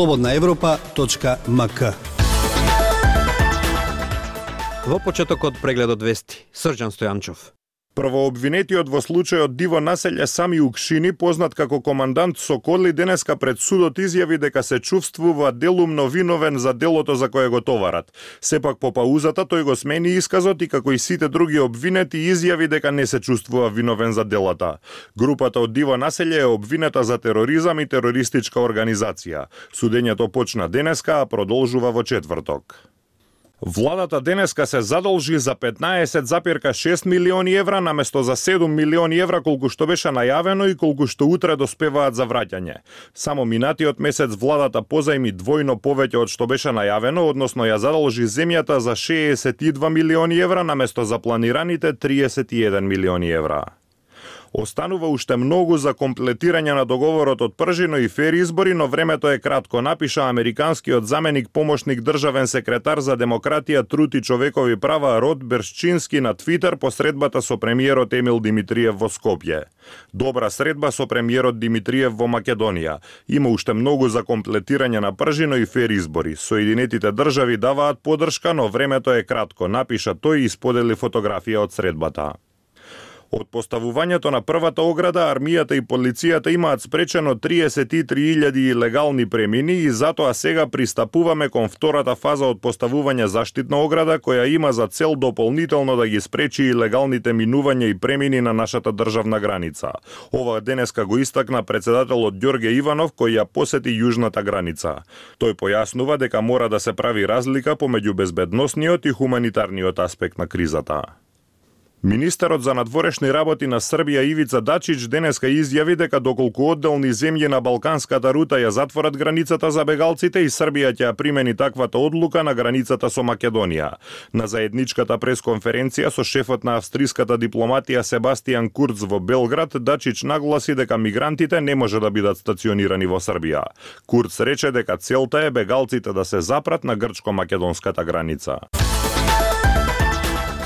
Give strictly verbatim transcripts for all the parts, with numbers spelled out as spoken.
слободна европа точка м к. Во почетокот прегледот вести, Срđan Стојанчов. Првообвинетиот во случајот Диво населје Сами Укшини, познат како командант Соколи, денеска пред судот изјави дека се чувствува делумно виновен за делото за кое го товарат. Сепак по паузата тој го смени исказот и како и сите други обвинети изјави дека не се чувствува виновен за делата. Групата од Диво населје е обвинета за тероризам и терористичка организација. Судењето почна денеска, а продолжува во четврток. Владата денеска се задолжи за петнаесет запирка шест милиони евра наместо за седум милиони евра колку што беше најавено и колку што утре доспеваат за враќање. Само минатиот месец владата позајми двојно повеќе од што беше најавено, односно ја задолжи земјата за шеесет и два милиони евра наместо за планираните триесет и еден милиони евра. Останува уште многу за комплетирање на договорот од пржино и фер избори, но времето е кратко, напиша американскиот заменик помошник државен секретар за демократија, труд и човекови права Род Бершчински на Твитер по средбата со премиерот Емил Димитриев во Скопје. Добра средба со премиерот Димитриев во Македонија. Има уште многу за комплетирање на пржино и фер избори. Соединетите држави даваат поддршка, но времето е кратко, напиша тој и сподели фотографија од средбата. Од поставувањето на првата ограда, армијата и полицијата имаат спречено триесет и три илјади илегални премини и затоа сега пристапуваме кон втората фаза од поставување заштитна ограда, која има за цел дополнително да ги спречи илегалните минувања и премини на нашата државна граница. Ова денеска го истакна председателот Ѓорѓе Иванов, кој ја посети јужната граница. Тој појаснува дека мора да се прави разлика помеѓу безбедносниот и хуманитарниот аспект на кризата. Министерот за надворешни работи на Србија Ивица Дачич денеска изјави дека доколку одделни земји на Балканската рута ја затворат границата за бегалците и Србија ќе ја примени таквата одлука на границата со Македонија. На заедничката пресконференција со шефот на австриската дипломатија Себастијан Курц во Белград, Дачич нагласи дека мигрантите не може да бидат стационирани во Србија. Курц рече дека целта е бегалците да се запрат на грчко-македонската граница.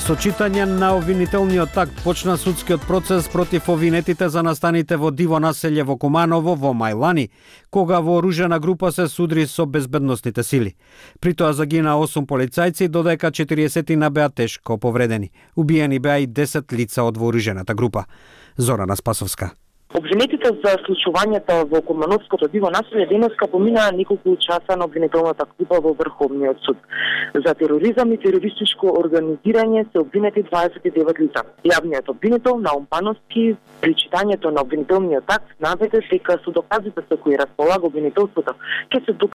Со читање на обвинителниот акт почна судскиот процес против обвинетите за настаните во Диво населје во Куманово во Мајлани, кога вооружена група се судри со безбедносните сили. При тоа загина осум полицајци, додека четириесет беа тешко повредени. Убиени беа и десет лица од вооружената група. Зорана Спасовска. Обвинетите за случувањата во Кумановското Диво населје денеска поминаа неколку часа на обвинителната група во Врховниот суд. За тероризам и терористичко организирање се обвинети дваесет и девет лица. Јавниот обвинител Наум Пановски при читањето на обвинителниот акт наведе дека со доказите со кои располага обвинителството ќе се